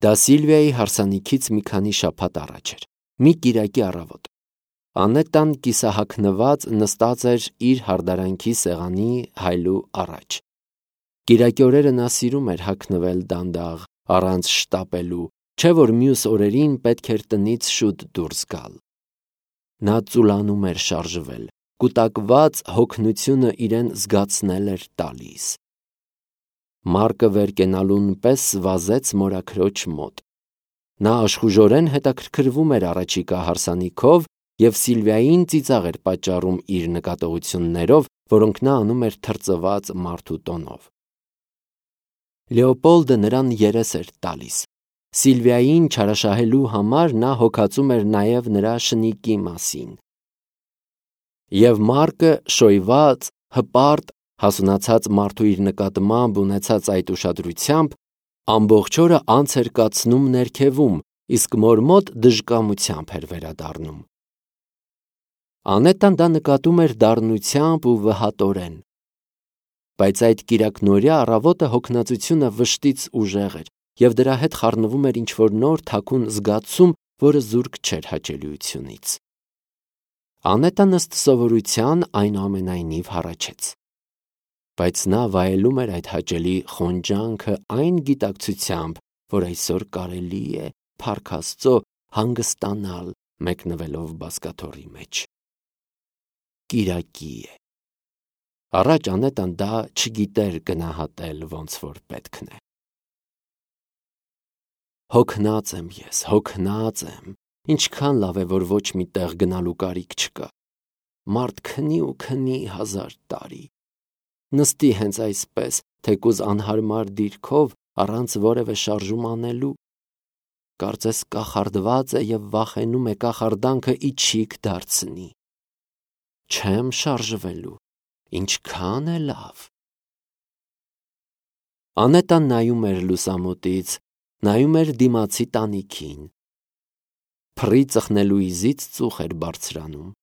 Դա Սիլվիայի հարսանիքից մի քանի շաբաթ առաջ էր, մի կիրակի առավոտ։ Անետան կիսահագնված նստած էր իր հարդարանքի սեղանի հայլու առաջ։ Կիրակի օրերը նա սիրում էր հագնվել դանդաղ, առանց շտապելու, չէ որ մյուս օրերին պետք էր տնից շուտ դուրս գալ։ Նա ծուլանում էր շարժվել, կուտակված հոգնությունը իրեն զգացնել էր տալիս։ Մարկը վեր կենալուն պես վազեց մորաքրոջ մոտ։ Նա աշխուժորեն հետաքրքրվում էր առաջիկա հարսանիքով և Սիլվիային ծիծաղ էր պատճառում իր նկատողություններով, որոնք նա անում էր թրծված մարդու տոնով։ Լեոպոլդը նրան երես էր տալիս։ Սիլվիային չարաշահելու համար նա հոգածում էր նաև նրա շնիկի մասին։ Եվ Մարկը շոյված, հպարտ, հասունացած մարդու իր նկատմամբ ունեցած այդ ուշադրությամբ ամբողջ օրը անց էր կացնում ներքևում, իսկ մոր մոտ դժկամությամբ էր վերադառնում։ Անետան դա նկատում էր դառնությամբ ու վհատորեն։ Բայց այդ կիրակնօրյա առավոտը հոգնածությունը վշտից ուժեղ էր, և դրա հետ խառնվում էր ինչ-որ նոր թաքուն զգացում, որը զուրկ չէր հաճելիությունից։ Անետան ըստ սովորության այնուամենայնիվ հառաչեց։ Բայց նա վայելում էր այդ հաճելի խոնջանքը այն գիտակցությամբ, որ այսօր կարելի է, փառք Աստծո, հանգստանալ մեկնվելով բազկաթոռի մեջ։ Կիրակի է։ Առաջ Անետան դա չգիտեր գնահատել ոնց որ պետքն է։ Հոգնած եմ ես, հոգնած եմ, ինչքան լավ է, որ ոչ մի տեղ գնալու կարիք չկա։ Մարդ քնի ու քնի 1000 տարի։ Նստի հենց այսպես, թեկուզ անհարմար դիրքով, առանց որևէ շարժում անելու։ Կարծես կախարդված է և վախենում է կախարդանքը իջիկ դարձնի։ Չեմ շարժվելու, ինչքան է լավ։ Անետան նայում էր լուսամուտից, նայում էր դիմացի տանիքին։ Փռի ծխնելուիզից ծուխ էր բարձրանում։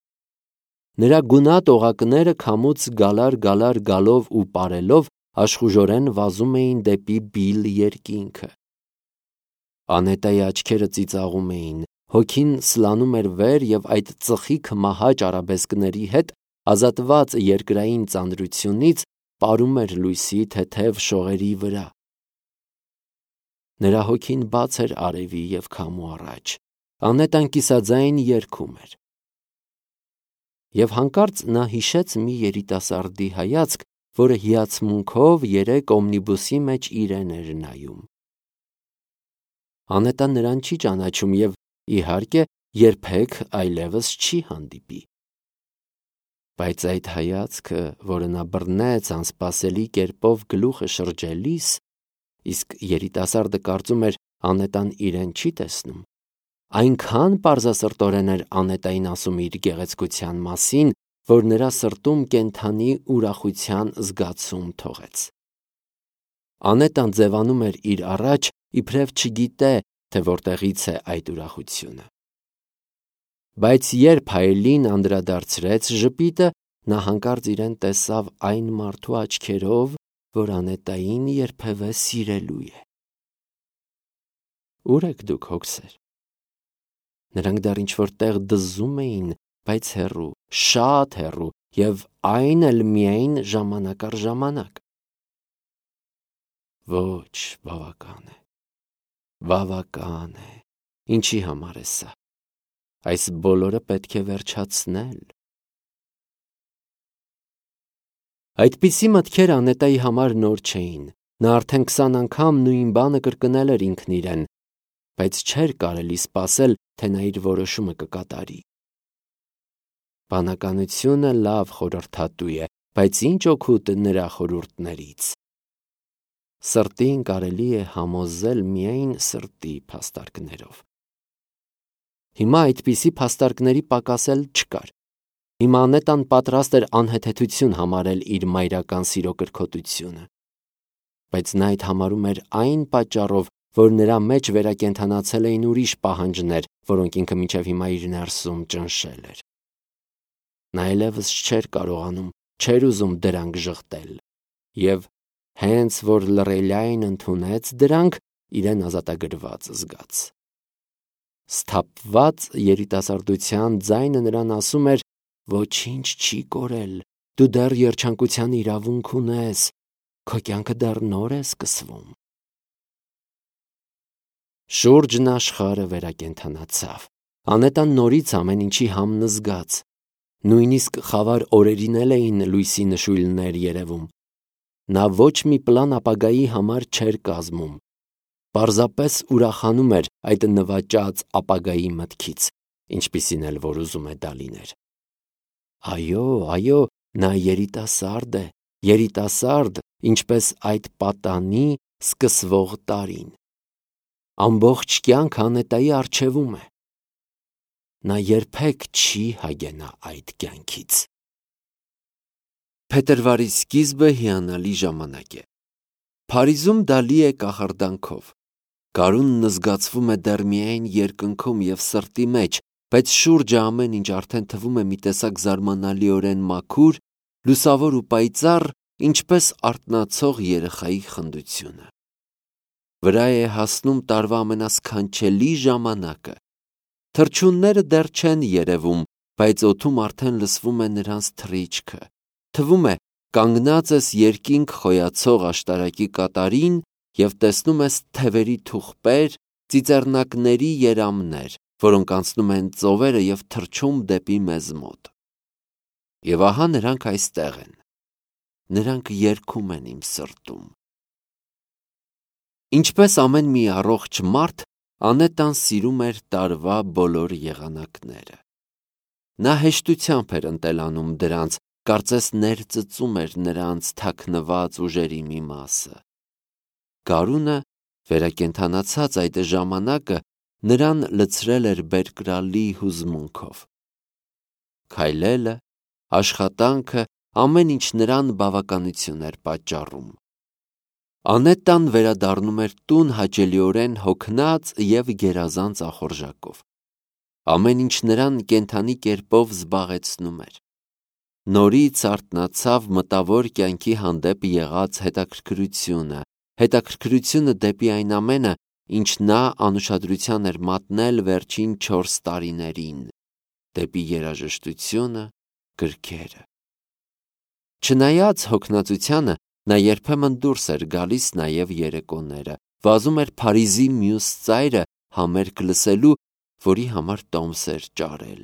Նրա գունատ օղակները քամուց գալար գալով ու պարելով աշխուժորեն վազում էին դեպի բիլ երկինքը։ Անետայի աչքերը ծիծաղում էին, հոգին սլանում էր վեր և այդ ծխիկ մահաճ արաբեսկների հետ ազատված երկրային ծանրությունից պարում էր լույսի թեթև շողերի վրա։ Նրա հոգին բաց էր արևի և քամու առաջ։ Անետան կիսաձայն երգում էր։ Եվ հանկարծ նա հիշեց մի երիտասարդի հայացք, որը հիացմունքով երեկ օմնիբուսի մեջ իրեն էր նայում։ Անետան նրան չի ճանաչում և, իհարկե, երբեք այլևս չի հանդիպի։ Բայց այդ հայացքը, որը նա բռնեց անսպասելի կերպով գլուխը շրջելիս, իսկ երիտասարդը կարծում էր Անետան իրեն չի տեսնում, այնքան պարզասրտորեն էր Անետային ասում իր գեղեցկության մասին, որ նրա սրտում կենդանի ուրախության զգացում թողեց։ Անետան ձևանում էր իր առաջ, իբրև չգիտե, թե որտեղից է այդ ուրախությունը։ Բայց երբ հայելին անդրադարձրեց ժպիտը, նա հանկարծ իրեն տեսավ այն մարդու աչքերով, որ Անետային երբևէ սիրելու է։ Ո՞ւր եք դուք, հոգսեր։ Նրանք դեռ ինչ-որ տեղ դզում էին, բայց հեռու, շատ հեռու, և այն էլ միայն ժամանակ առ ժամանակ։ Ոչ, բավական է, բավական է, ինչի համար է սա։ Այս բոլորը պետք է վերջացնել։ Այդպիսի մտքեր Անետայի համար նոր չէին։ Նա արդեն 20 անգամ նույն բանը կրկնել էր ինքն իրեն, բայց չէր կարելի սպասել, թե նա իր որոշումը կկատարի։ Բանականությունը լավ խորհրդատու է, բայց ինչ օգուտ նրա խորհուրդներից։ Սրտին կարելի է համոզել միայն սրտի փաստարկներով։ Հիմա այդպիսի փաստարկների պակաս էլ չկար։ Հիմա Անետան պատրաստ էր անհեթեթություն համարել իր մայրական սիրո կրքոտությունը։ Բայց նա այդ համարում էր այն պատճառով, որ նրա մեջ վերակենդանացել էին ուրիշ պահանջներ, որոնք ինքը մինչև հիմա իր ներսում ճնշել էր։ Նա այլևս չէր կարողանում, չէր ուզում դրանք ժխտել։ Եվ հենց որ լռելիայն ընդունեց դրանք, իրեն ազատագրված զգաց։ Սթափված երիտասարդության ձայնը նրան ասում էր. «Ոչինչ չի կորել, դու դեռ երջանկության իրավունք ունես, քո կյանքը դեռ նոր է սկսվում»։ Շուրջն աշխարհը վերակենդանացավ։ Անետան նորից ամեն ինչի համն զգաց։ Նույնիսկ խավար օրերին էլ էին լույսի նշույլներ երևում։ Նա ոչ մի պլան ապագայի համար չէր կազմում։ Պարզապես ուրախանում էր այդ նվաճած ապագայի մտքից, ինչպիսին էլ որ ուզում է դա լիներ։ Այո, նա երիտասարդ է, երիտասարդ, ինչպես այդ պատանի սկսվող տարին։ Ամբողջ կյանք Անետայի առջևում է։ Նա երբեք չի հագենա այդ կյանքից։ Փետրվարի սկիզբը հիանալի ժամանակ է։ Փարիզում դա լի է կախարդանքով։ Գարունն զգացվում է դեռ միայն երկնքում և սրտի մեջ, բայց շուրջը ամեն ինչ արդեն թվում է մի տեսակ զարմանալիորեն մաքուր, լուսավոր ու պայծառ, ինչպես արթնացող երեխայի խնդությունը։ Վրա է հասնում տարվա ամենասքանչելի ժամանակը։ Թռչունները դեռ չեն երևում, բայց օդում արդեն լսվում է նրանց թռիչքը։ Թվում է, կանգնած ես երկինք խոյացող աշտարակի կատարին և տեսնում ես թևերի թուղպեր, ծիծեռնակների երամներ, որոնք անցնում են ծովերը և թռչում դեպի մեզ մոտ։ Եվ ահա նրանք այստեղ են։ Նրանք երգում են իմ սրտում։ Ինչպես ամեն մի առողջ մարդ, Անետան սիրում էր տարվա բոլոր եղանակները։ Նա հեշտությամբ էր ընտելանում դրանց, կարծես ներծծում էր նրանց թաքնված ուժերի մի մասը։ Գարունը, վերակենդանացած այդ ժամանակը, նրան լցրել էր բերկրալի հուզմունքով։ Քայլելը, աշխատանքը, ամեն ինչ նրան բավականություն էր պատճառում։ Անետան վերադառնում էր տուն հաճելիորեն հոգնած և գերազանց ախորժակով։ Ամեն ինչ նրան կենդանի կերպով զբաղեցնում էր։ Նորից արթնացավ մտավոր կյանքի հանդեպ եղած հետաքրքրությունը դեպի այն ամենը, ինչ նա անուշադրության էր մատնել վերջին 4 տարիներին, դեպի երաժշտությունը, գրքերը։ Չնայած հոգնածությանը, նա երբեմն դուրս էր գալիս նաև երեկոները, վազում էր Փարիզի մյուս ծայրը համերգ լսելու, որի համար տոմս էր ճարել։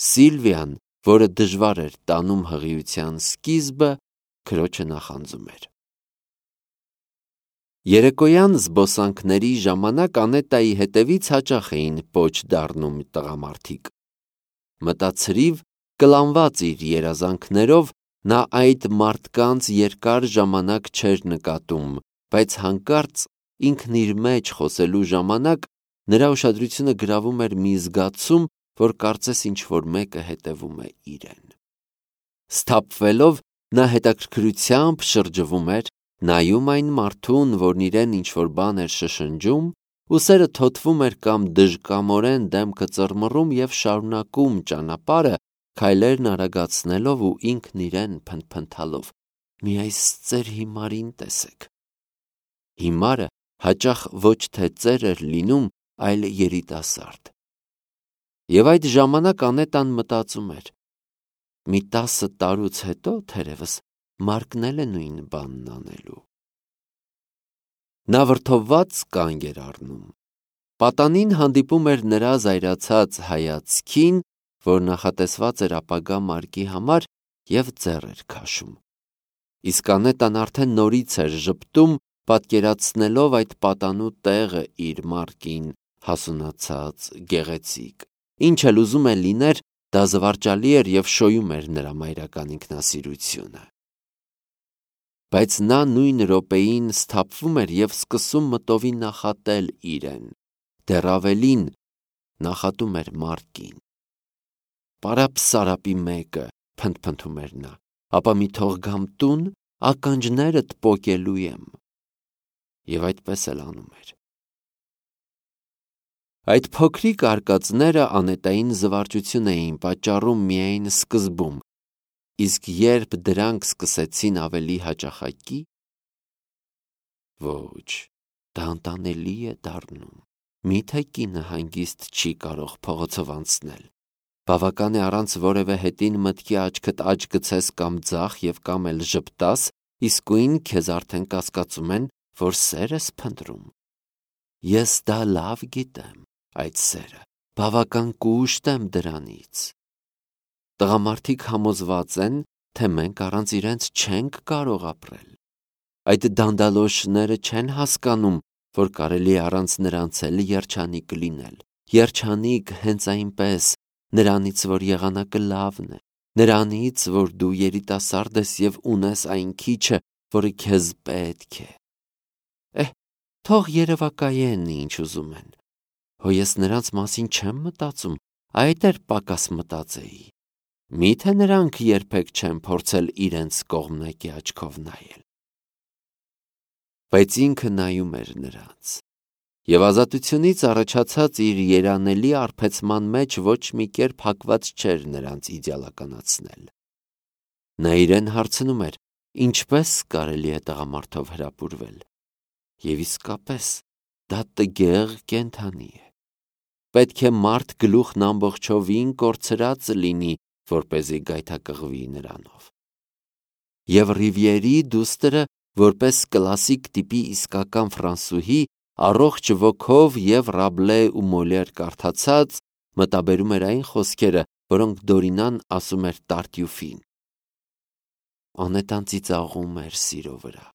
Սիլվիան, որը դժվար էր տանում հղիության սկիզբը, քրոջը նախանձում էր։ Երեկոյան զբոսանքների ժամանակ Անետայի հետևից հաճախ էին պոչ դառնում տղամարդիկ։ Մտացրիվ, կլանված իր երազանքներով, նա այդ մարդկանց երկար ժամանակ չէր նկատում, բայց հանկարծ ինքն իր մեջ խոսելու ժամանակ նրա ուշադրությունը գրավում էր մի զգացում, որ կարծես ինչ-որ մեկը հետևում է իրեն։ Սթափվելով, նա հետաքրքրությամբ շրջվում էր, նայում այն մարդուն, որն իրեն ինչ-որ բան էր շշնջում, ուսերը թոթվում էր կամ դժկամորեն դեմքը ծռմռում և շարունակում ճանապարհը, քայլերն արագացնելով ու ինքն իրեն փնթփնթալով. «Մի այս ծեր հիմարին տեսեք»։ Հիմարը հաճախ ոչ թե ծեր էր լինում, այլ երիտասարդ։ Եվ այդ ժամանակ Անետան մտածում էր. մի 10 տարուց հետո, թերևս, Մարկն էլ է նույն բանն անելու։ Նա վրդովված կանգ էր առնում։ Պատանին հանդիպում էր նրա զայրացած հայացքին, որ նախատեսված էր ապագա Մարկի համար, և ձեռ էր քաշում։ Իսկ Անետան արդեն նորից էր ժպտում, պատկերացնելով այդ պատանու տեղը իր Մարկին, հասունացած, գեղեցիկ։ Ինչ էլ ուզում է լիներ, դա զվարճալի էր և շոյում էր նրա մայրական ինքնասիրությունը։ Բայց նա նույն րոպեին սթափվում էր և սկսում մտովի նախատել իրեն, դեռ ավելին, նախատում էր Մարկին։ «Պարապ-սարապի մեկը», փնթփնթում էր նա, «ապա մի թող գամ տուն, ականջներդ պոկելու եմ»։ Եվ այդպես էլ անում էր։ Այդ փոքրիկ արկածները Անետային զվարճություն էին պատճառում միայն սկզբում, իսկ երբ դրանք սկսեցին ավելի հաճախակի, ոչ, դա անտանելի է դառնում։ Միթե կինը հանգիստ չի կարող փողոցով անցնել։ Բավական է առանց որևէ հետին մտքի աչքդ աջ գցես կամ ձախ եւ կամ էլ ժպտաս, իսկույն քեզ արդեն կասկածում են, որ սեր ես փնտրում։ Ես դա լավ գիտեմ, այդ սերը, բավական կուշտ եմ դրանից։ Տղամարդիկ համոզված են, թե մենք առանց իրենց չենք կարող ապրել։ Այդ դանդալոշները չեն հասկանում, որ կարելի է առանց նրանց էլ երջանիկ լինել։ Երջանիկ հենց այնպես, նրանից, որ եղանակը լավն է, նրանից, որ դու երիտասարդ ես եւ ունես այն քիչը, որը քեզ պետք է։ Թող երևակայեն ինչ ուզում են։ Հո ես նրանց մասին չեմ մտածում, այդ էր պակաս մտածեի։ Միթե նրանք երբեք չեն փորձել իրենց կողմնակի աչքով նայել։ Բայց ինքը նայում էր նրանց։ Եվ ազատությունից առաջացած իր երանելի արբեցման մեջ ոչ մի կերպ հակված չէր նրանց իդեալականացնել։ Նա իրեն հարցնում էր, ինչպես կարելի է տղամարդով հրապուրվել։ Եվ իսկապես, դա տգեղ կենդանի է։ Պետք է մարդ գլուխն ամբողջովին կորցրած լինի, որպեսզի գայթակղվի նրանով։ Եվ Ռիվիերի դուստրը, որպես կլասիկ տիպի իսկական ֆրանսուհի, առողջ ոգով եւ Ռաբլե ու Մոլեր կարդացած, մտաբերում էր այն խոսքերը, որոնք Դորինան ասում էր Տարտյուֆին։ Անետան ծիծաղում էր սիրո վրա։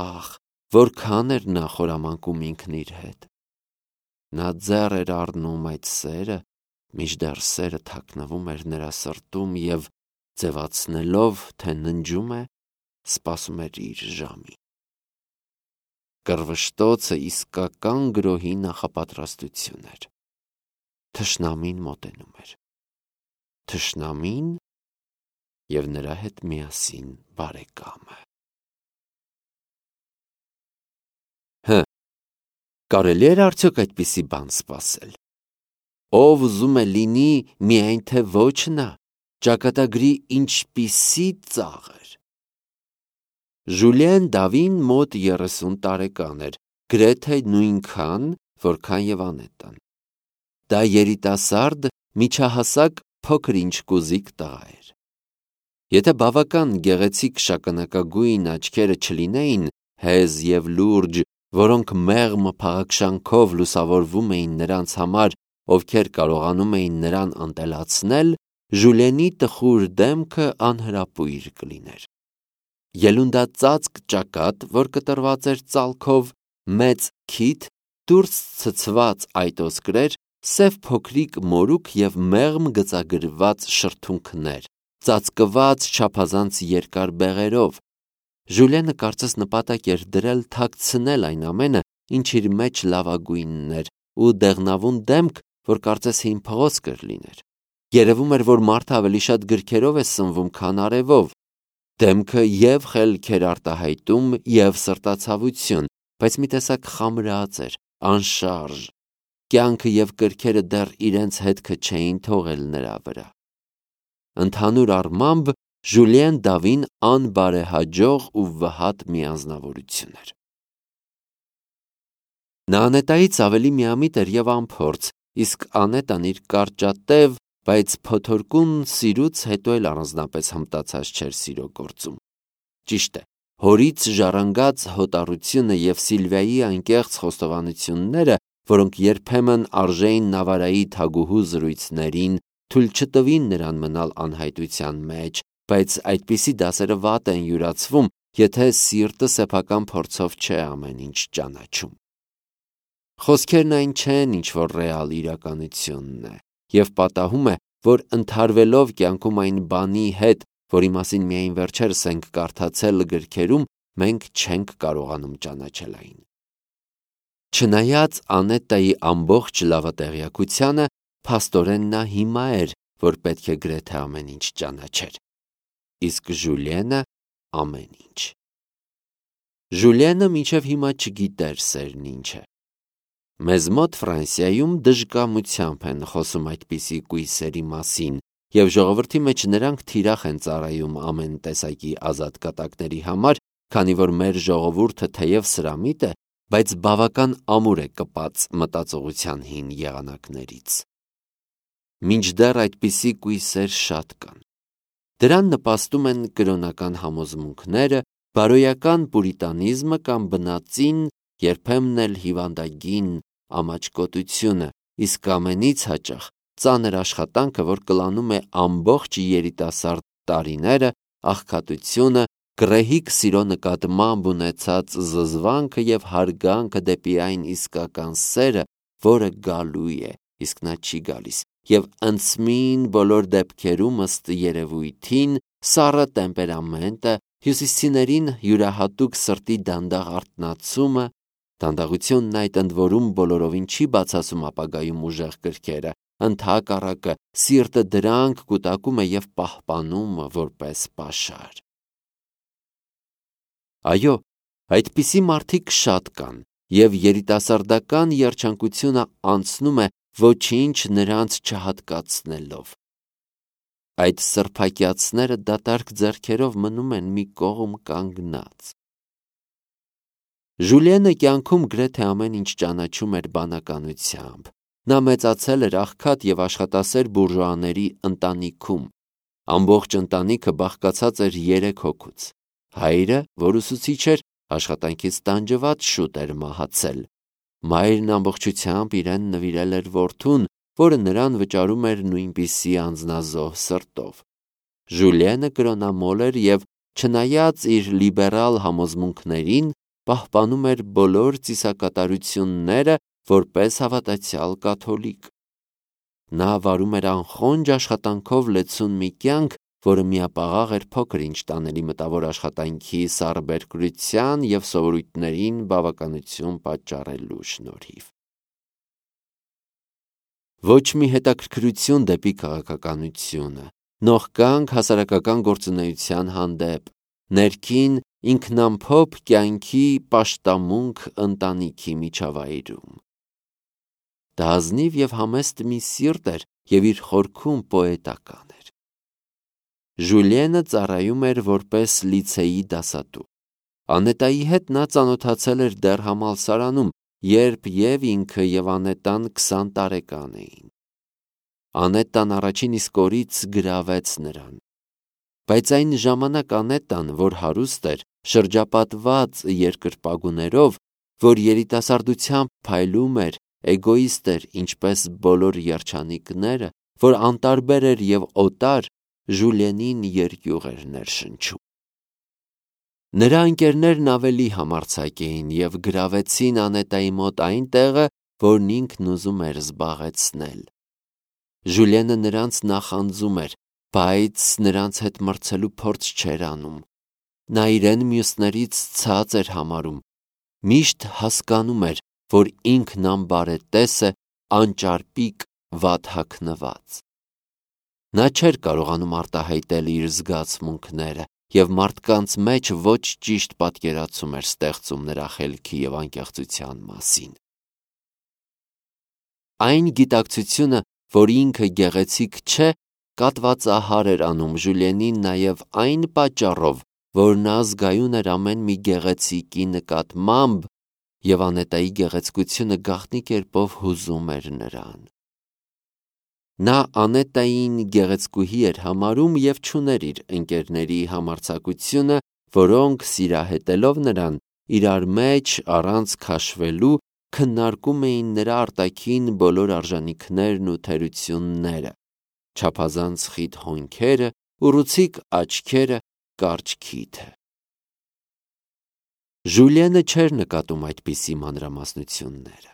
Ախ, որքան էր նա խորամանկում ինքն իր հետ։ Նա ձեռ էր առնում այդ սերը, մինչդեռ սերը թաքնվում էր նրա սրտում եւ ձևացնելով, թե ննջում է, սպասում էր իր ժամին։ Կռվշտոցը իսկական գրոհի նախապատրաստություն էր։ Թշնամին մոտենում էր։ Թշնամին եւ նրա հետ միասին բարեկամը։ Կարելի էր արդյոք այդպիսի բան սպասել։ Ով ուզում է լինի, միայն թե ոչ նա, ճակատագրի ինչպիսի ծաղր։ Ժուլիեն Դավին մոտ 30 տարեկան էր, գրեթե նույնքան, որքան եւ Անետան։ Դա երիտասարդ, միջահասակ, փոքր-ինչ կուզիկ տղա էր։ Եթե բավական գեղեցիկ շագանակագույն աչքերը չլինեին, հեզ եւ լուրջ, որոնք մեղմ փաղաքշանքով լուսավորվում էին նրանց համար, ովքեր կարողանում էին նրան անտելացնել, Ժուլիենի տխուր դեմքը անհրապույր կլիներ։ Ելունդածածկ ճակատ, որ կտրված էր ծալքով, մեծ քիթ, դուրս ցցված այտոսկրեր, սև փոքրիկ մորուք եւ մեղմ գծագրված շրթունքներ, ծածկված չափազանց երկար բեղերով։ Ժուլիենը կարծես նպատակ էր դրել թաքցնել այն ամենը, ինչ իր մեջ լավագույնն էր, ու դեղնավուն դեմք, որ կարծես հին փղոսկր լիներ։ Երևում էր, որ մարդը ավելի շատ գրքերով է սնվում, քան արևով։ Դեմքը եւ խելք էր արտահայտում, եւ սրտացավություն, բայց մի տեսակ խամրած էր, անշարժ։ Կյանքը եւ կրքերը դեռ իրենց հետքը չէին թողել նրա վրա։ Ընդհանուր առմամբ Ժուլիեն Դավին անբարեհաջող ու վհատ մի անձնավորություն էր։ Նա Անետայից ավելի միամիտ էր եւ անփորձ, իսկ Անետան իր կարճատև, բայց փոթորկուն սիրուց հետո էլ առանձնապես հմտացած չէր սիրո գործում։ Ճիշտ է, հորից ժառանգած հոտառությունը եւ Սիլվիայի անկեղծ խոստովանությունները, որոնք երբեմն արժեին Նավարայի թագուհու զրույցներին, թույլ չտվին նրան մնալ անհայտության մեջ, բայց այդպիսի դասերը վատ են յուրացվում, եթե սիրտը սեփական փորձով չէ ամեն ինչ ճանաչում։ Խոսքերն այն չեն, ինչ որ ռեալ իրականությունն է, եւ պատահում է, որ ընթարվելով կյանքում այն բանի հետ, որի մասին միայն վերջերս ենք կարդացել գրքերում, մենք չենք կարողանում ճանաչել այն։ Չնայած Անետայի ամբողջ լավատեղյակությանը, փաստորեն նա հիմա էր, որ պետք է գրեթե ամեն ինչ ճանաչեր։ Իսկ Ժուլիենը ամեն ինչ։ Ժուլիենը մինչև հիմա չգիտեր սերն ինչ է։ Մեզ մոտ Ֆրանսիայում դժկամությամբ են խոսում այդպիսի կույսերի մասին, եւ ժողովրդի մեջ նրանք թիրախ են ծառայում ամեն տեսակի ազատ կատակների համար, քանի որ մեր ժողովուրդը թեև սրամիտ է, բայց բավական ամուր է կպած մտածողության հին եղանակներից։ Մինչդեռ այդպիսի կույսեր շատ կան։ Դրան նպաստում են կրոնական համոզմունքները, բարոյական պուրիտանիզմը կամ բնածին, երբեմն էլ հիվանդագին ամաչկոտությունը, իսկ ամենից հաճախ ծանր աշխատանքը, որ կլանում է ամբողջ երիտասարդ տարիները, աղքատությունը, գռեհիկ սիրո նկատմամբ ունեցած զզվանքը և հարգանքը դեպի այն իսկական սերը, որը գալու է, իսկ նա չի գալիս, և ընծմին բոլոր դեպքերում ըստ երևույթին, սառը տեմպերամենտը, հյուսիսցիներին յուրահատուկ սրտի դանդաղ արթնացումը, դանդաղությունն այդ ընդ որում բոլորովին չի բացասում ապագայում ուժեղ կրքերը, ընդհակառակը սիրտը դրանք կուտակում է և պահպանում որպես պաշար։ Այո, այդպիսի մարդիկ շատ կան, և երիտասարդական երջանկությունը անցնում է ոչինչ նրանց չհատկացնելով։ Այդ սրբակյացները դատարկ ձեռքերով մնում են մի կողմ կանգնած։ Ժուլիենը կյանքում գրեթե ամեն ինչ ճանաչում էր բանականությամբ։ Նա մեծացել էր աղքատ և աշխատասեր բուրժուաների ընտանիքում։ Ամբողջ ընտանիքը բաղկացած էր 3 հոգուց։ Հայրը, որ ուսուցիչ էր, աշխատանքից տանջված շուտ էր մահացել։ Մայրն ամբողջությամբ իրեն նվիրել էր որդուն, որը նրան վճարում էր նույնպիսի անձնազոհ սրտով։ Ժուլիենը կրոնամոլ էր և, չնայած իր լիբերալ համոզմունքներին, պահպանում էր բոլոր ծիսակատարությունները որպես հավատացյալ կաթոլիկ։ Նա վարում էր անխոնջ աշխատանքով լեցուն մի կյանք, որը միապաղաղ էր փոքր-ինչ տանելի մտավոր աշխատանքի սառբերկրության և սովորույթներին բավականություն պատճառելու շնորհիվ։ Ոչ մի հետաքրքրություն դեպի քաղաքականությունը, նողկանք հասարակական գործունեության հանդեպ, ներքին ինքնամփոփ կյանքի պաշտամունք ընտանիքի միջավայրում։ Դա ազնիվ և համեստ մի սիրտ էր և իր խորքում պոետական էր։ Ժուլիենը ծառայում էր որպես լիցեի դասատու։ Անետայի հետ նա ծանոթացել էր դեռ համալսարանում, երբ և ինքը և Անետան 20 տարեկան էին։ Անետան առաջին իսկ օրից գրավեց նրան։ Բայց այն ժամանակ Անետան, որ հարուստ էր, շրջապատված երկրպագուներով, որ երիտասարդությամբ փայլում էր, էգոիստ էր, ինչպես բոլոր երջանիկները, որ անտարբեր էր և օտար, Ժուլիենին երկյուղ էր ներշնչում։ Նրա ընկերներն ավելի համարձակ էին և գրավեցին Անետայի մոտ այն տեղը, որն ինքն ուզում էր զբաղեցնել։ Ժուլիենը նրանց նախանձում էր, բայց նրանց հետ մրցելու փորձ չէր անում։ Նա իրեն մյուսներից ցած էր համարում, միշտ հասկանում էր, որ ինքն անբարետես է, անճարպիկ, վատ հագնված։ Նա չէր կարողանում արտահայտել իր զգացմունքները, և մարդկանց մեջ ոչ ճիշտ պատկերացում էր ստեղծում նրա խելքի և անկեղծության մասին։ Այն գիտակցությունը, որ ինքը գեղեցիկ չէ, կատվածահար էր անում Ժուլիենին նաև այն պատճառով, որ նա զգայուն էր ամեն մի գեղեցիկի նկատմամբ, և Անետայի գեղեցկությունը գաղտնի կերպով հուզում էր նրան։ Նա Անետային գեղեցկուհի էր համարում և չուներ իր ընկերների համարձակությունը, որոնք, սիրահետելով նրան, իրար մեջ առանց քաշվելու, քննարկում էին նրա արտաքին բոլոր արժանիքներն ու թերությունները, չափազանց խիտ հոնքերը, ուռուցիկ աչքերը, կարճ քիթը։ Ժուլիենը չէր նկատում այդպիսի մանրամասնությունները,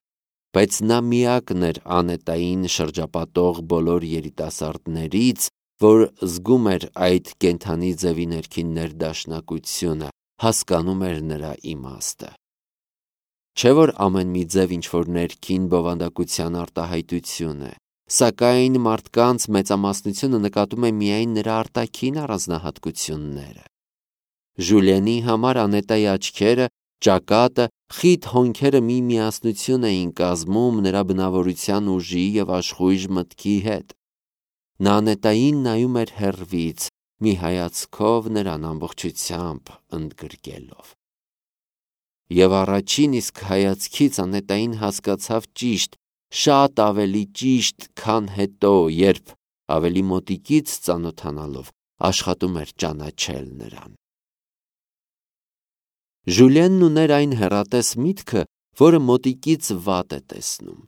բայց նա միակն էր Անետային շրջապատող բոլոր երիտասարդներից, որ զգում էր այդ կենդանի ձևի ներքին ներդաշնակությունը, հասկանում էր նրա իմաստը։ Չէ՞ որ ամեն մի ձև ինչ-որ ներքին բովանդակության արտահայտություն է, սակայն մարդկանց մեծամասնությունը նկատում է միայն նրա արտաքին առանձնահատկությունները։ Ժուլիենի համար Անետայի աչքերը, ճակատը, խիտ հոնքերը մի միասնություն էին կազմում նրա բնավորության ուժի և աշխույժ մտքի հետ։ Նա Անետային նայում էր հեռվից, մի հայացքով նրան ամբողջությամբ ընդգրկելով։ Եվ առաջին իսկ հայացքից Անետային հասկացավ ճիշտ, շատ ավելի ճիշտ, քան հետո, երբ ավելի մոտիկից ծանոթանալով աշխատում էր ճանաչել նրան։ Ժուլիենն ուներ այն հեռատես միտքը, որը մոտիկից վատ է տեսնում։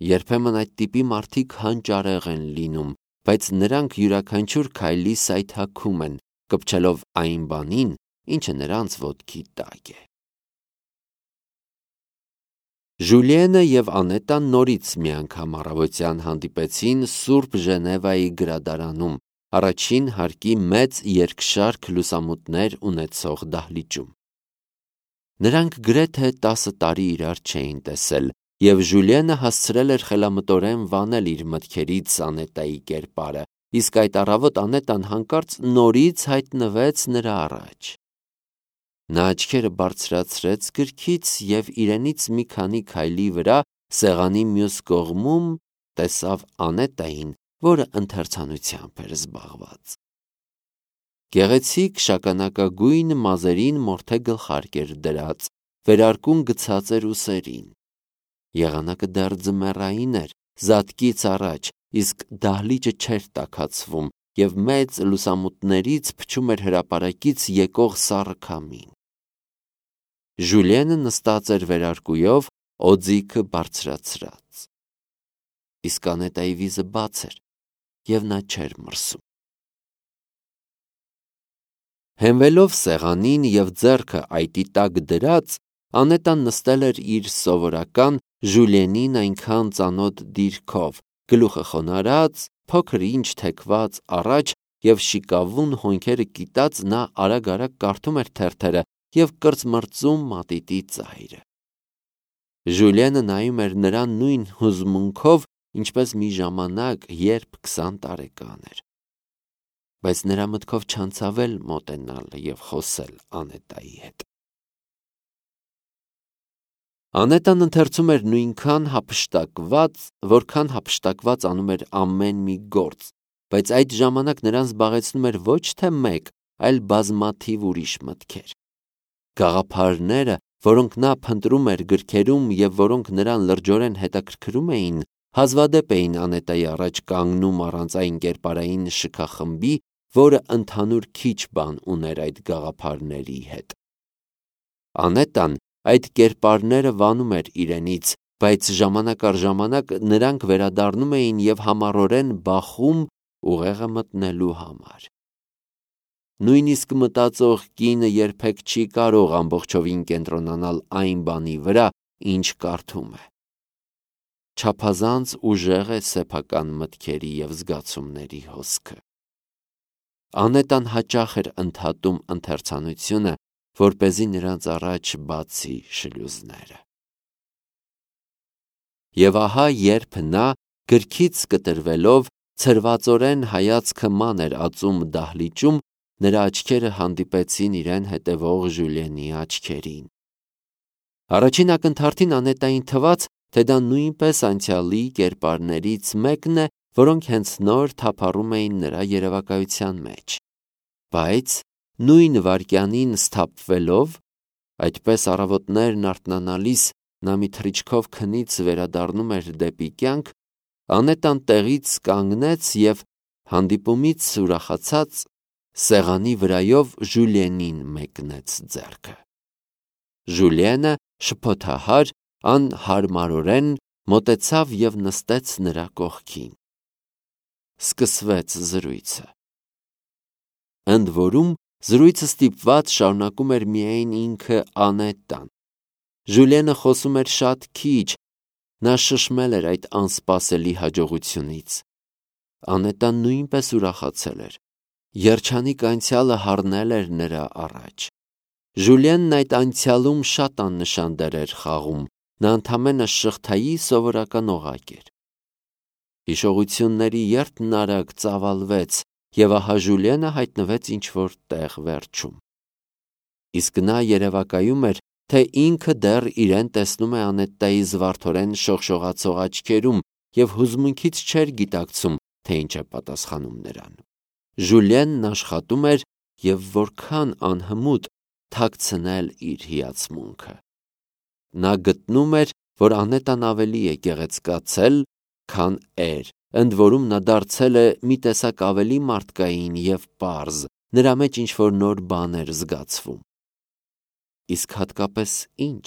Երբեմն այդ տիպի մարդիկ հանճարեղ են լինում, բայց նրանք յուրաքանչյուր քայլի սայթաքում են, կպչելով այն բանին, ինչը նրանց ոտքի տակ է։ Ժուլիենը և Անետան նորից մի անգամ առավոտյան հանդիպեցին Սուրբ Ժնևայի գրադարանում, առաջին հարկի մեծ երկշարք լուսամուտներ ունեցող դահլիճում։ Նրանք գրեթե 10 տարի իրար չէին տեսել, և Ժուլիենը հասցրել էր խելամտորեն վանել իր մտքերից Անետայի կերպարը, իսկ այդ առավոտ Անետան հանկարծ նորից հայտնվեց նրա առաջ։ Նա աչքերը բարձրացրեց գրքից և իրենից մի քանի քայլի վրա սեղանի մյուս կողմում տեսավ Անետային, որը ընթերցանությամբ էր զբաղված։ Գեղեցիկ շագանակագույն մազերին մորթե գլխարկ էր դրած, վերարկուն գցած էր ուսերին։ Եղանակը դեռ ձմեռային էր, զատկից առաջ, իսկ դահլիճը չէր տաքացվում, և մեծ լուսամուտներից փչում էր հրապարակից եկող սառը քամին։ Ժուլիենը նստած էր վերարկուով, օձիքը բարձրացրած։ Իսկ Անետայի վիզը բաց էր, և նա չէր մրսում։ Հենվելով սեղանին և ձեռքը այտի տակ դրած, Անետան նստել էր իր սովորական Ժուլիենին այնքան ծանոթ դիրքով, գլուխը խոնարհած, փոքր ինչ թեքված առաջ և շիկավուն հոնքերը կիտած նա արագ-արագ կարդում էր թերթերը և կրծմրծում մատիտի ծայրը։ Ժուլիենը նայում էր նրան նույն հուզմունքով, ինչպես մի ժամանակ, երբ 20 տարեկան էր։ Բայց նրա մտքով չանցավ էլ մոտենալ և խոսել Անետայի հետ։ Անետան ընթերցում էր նույնքան հափշտակված, որքան հափշտակված անում էր ամեն մի գործ, բայց այդ ժամանակ նրան զբաղեցնում էր ոչ թե մեկ, այլ բազմաթիվ ուրիշ մտքեր։ Գաղափարները, որոնք նա փնտրում էր գրքերում և որոնք նրան լրջորեն հետաքրքրում էին, հազվադեպ էին Անետայի առաջ կանգնում առանց այն կերպարային շքախմբի, որը ընդհանուր քիչ բան ուներ այդ գաղափարների հետ։ Անետան այդ կերպարները վանում էր իրենից, բայց ժամանակ առ ժամանակ նրանք վերադառնում էին և համառորեն բախում ուղեղը մտնելու համար։ Նույնիսկ մտածող կինը երբեք չի կարող ամբողջովին կենտրոնանալ այն բանի վրա, ինչ կարդում է։ Չափազանց ուժեղ է սեփական մտքերի և զգացումների հոսքը։ Անետան հաճախ էր ընդհատում ընթերցանությունը, որպեսզի նրանց առաջ բացի շլյուզները։ Եվ ահա երբ նա, գրքից կտրվելով, ցրվածորեն հայացքը մանր ածում դահլիճում, նրա աչքերը հանդիպեցին իրեն հետևող Ժուլիենի աչքերին։ Առաջին ակնթարթին Անետային թվաց, թե դա նույնպես անցյալի կերպարներից մեկն է, որոնք հենց նոր թափառում էին նրա երևակայության մեջ։ Բայց նույն վայրկյանին սթափվելով, այդպես առավոտներն արթնանալիս նա մի թռիչքով քնից վերադառնում էր դեպի կյանք, Անետան տեղից կանգնեց և հանդիպումից ուրախացած սեղանի վրայով Ժուլիենին մեկնեց ձեռքը։ Ժուլիենը շփոթահար, անհարմարորեն մոտեցավ և նստեց նրա կողքին։ Սկսվեց զրույցը։ Ընդ որում, զրույցը ստիպված շարունակում էր միայն ինքը Անետան։ Ժուլիենը խոսում էր շատ քիչ, նա շշմել էր այդ անսպասելի հաջողությունից։ Անետան նույնպես ուրախացել էր։ Երջանիկ անցյալը հառնել էր նրա առաջ։ Ժուլիենն այդ անցյալում շատ աննշան դեր էր խաղում, նա ընդամենը շղթայի սովորական օղակ էր։ Հիշողությունների երթն արագ ծավալվեց, և ահա Ժուլիենը հայտնվեց ինչ-որ տեղ վերջում։ Իսկ նա երևակայում էր, թե ինքը դեռ իրեն տեսնում է Անետայի զվարթորեն շողշողացող աչքերում և հուզմունքից չէր գիտակցում, թե ինչ է պատասխանում նրան։ Ժուլիենն աշխատում էր և որքան անհմուտ, թաքցնել իր հիացմունքը։ Նա գտնում էր, որ Անետան ավելի է գեղեցկացել, քան էր, ընդ որում նա դարձել է մի տեսակ ավելի մարդկային և պարզ, նրա մեջ ինչ-որ նոր բան էր զգացվում։ Իսկ հատկապես ինչ։